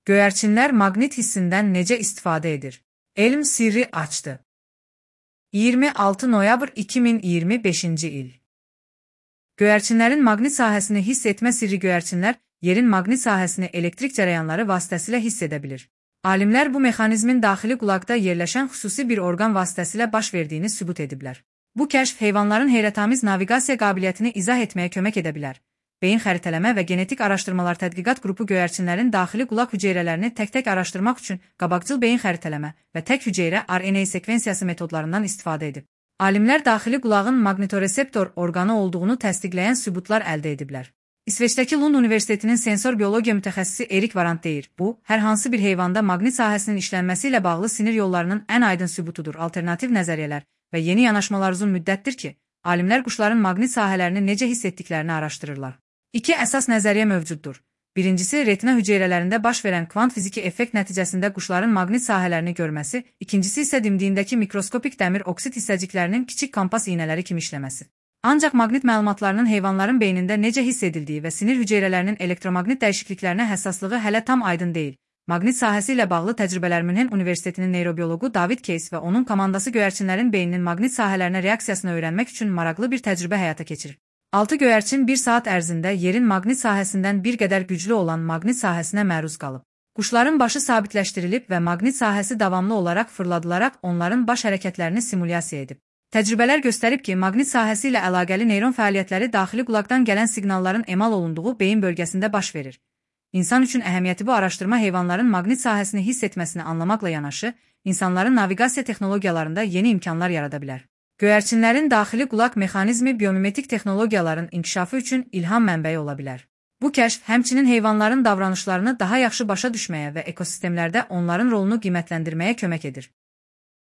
Göyərçinlər maqnit hissindən necə istifadə edir? Elm sirri açdı. 26 noyabr 2025-ci il. Göyərçinlərin maqnit sahəsini hiss etmə sirri. Göyərçinlər yerin maqnit sahəsini elektrik cərəyanları vasitəsilə hiss edə bilir. Alimlər bu mexanizmin daxili qulaqda yerləşən xüsusi bir orqan vasitəsilə baş verdiyini sübut ediblər. Bu kəşf heyvanların heyrətamiz naviqasiya qabiliyyətini izah etməyə kömək edə bilər. Beyin xəritələmə və genetik araşdırmalar tədqiqat qrupu göyərçinlərin daxili qulaq hüceyrələrini tək-tək araşdırmaq üçün qabaqcıl beyin xəritələmə və tək hüceyrə RNA sekvensiyası metodlarından istifadə edib. Alimlər daxili qulağın maqnitoreseptor orqanı olduğunu təsdiqləyən sübutlar əldə ediblər. İsveçdəki Lund Universitetinin sensor biologiya mütəxəssisi Erik Varant deyir, bu, hər hansı bir heyvanda maqnit sahəsinin işlənməsi ilə bağlı sinir yollarının ən aydın sübutudur. Alternativ nəzəriyyələr və yeni yanaşmalar uzun müddətdir ki, alimlər quşların maqnit sahələrini necə hiss etdiklərini araşdırırlar. İki əsas nəzəriyyə mövcuddur. Birincisi, retina hüceyrələrində baş verən kvant fiziki effekt nəticəsində quşların maqnit sahələrini görməsi, ikincisi isə dimdiyindəki mikroskopik dəmir oksid hissəciklərinin kiçik kompas iynələri kimi işləməsi. Ancaq maqnit məlumatlarının heyvanların beynində necə hiss edildiyi və sinir hüceyrələrinin elektromaqnit dəyişikliklərinə həssaslığı hələ tam aydın deyil. Maqnit sahəsi ilə bağlı təcrübələr Münhen Universitetinin neyrobioloqu David Case və onun komandası göyərçinlərin beyninin maqnit sahələrinə reaksiyasını öyrənmək üçün maraqlı bir təcrübə həyata keçirir. 6 göyərçin 1 saat ərzində yerin maqnit sahəsindən bir qədər güclü olan maqnit sahəsinə məruz qalıb. Quşların başı sabitləşdirilib və maqnit sahəsi davamlı olaraq fırladılaraq onların baş hərəkətlərini simulyasiya edib. Təcrübələr göstərib ki, maqnit sahəsi ilə əlaqəli neyron fəaliyyətləri daxili qulaqdan gələn siqnalların emal olunduğu beyin bölgəsində baş verir. İnsan üçün əhəmiyyəti bu araşdırma heyvanların maqnit sahəsini hiss etməsini anlamaqla yanaşı, insanların naviqasiya texnologiyalarında yeni imkanlar yarada bilər. Göyərçinlərin daxili qulaq mexanizmi biomimetik texnologiyaların inkişafı üçün ilham mənbəyi ola bilər. Bu kəşf həmçinin heyvanların davranışlarını daha yaxşı başa düşməyə və ekosistemlərdə onların rolunu qiymətləndirməyə kömək edir.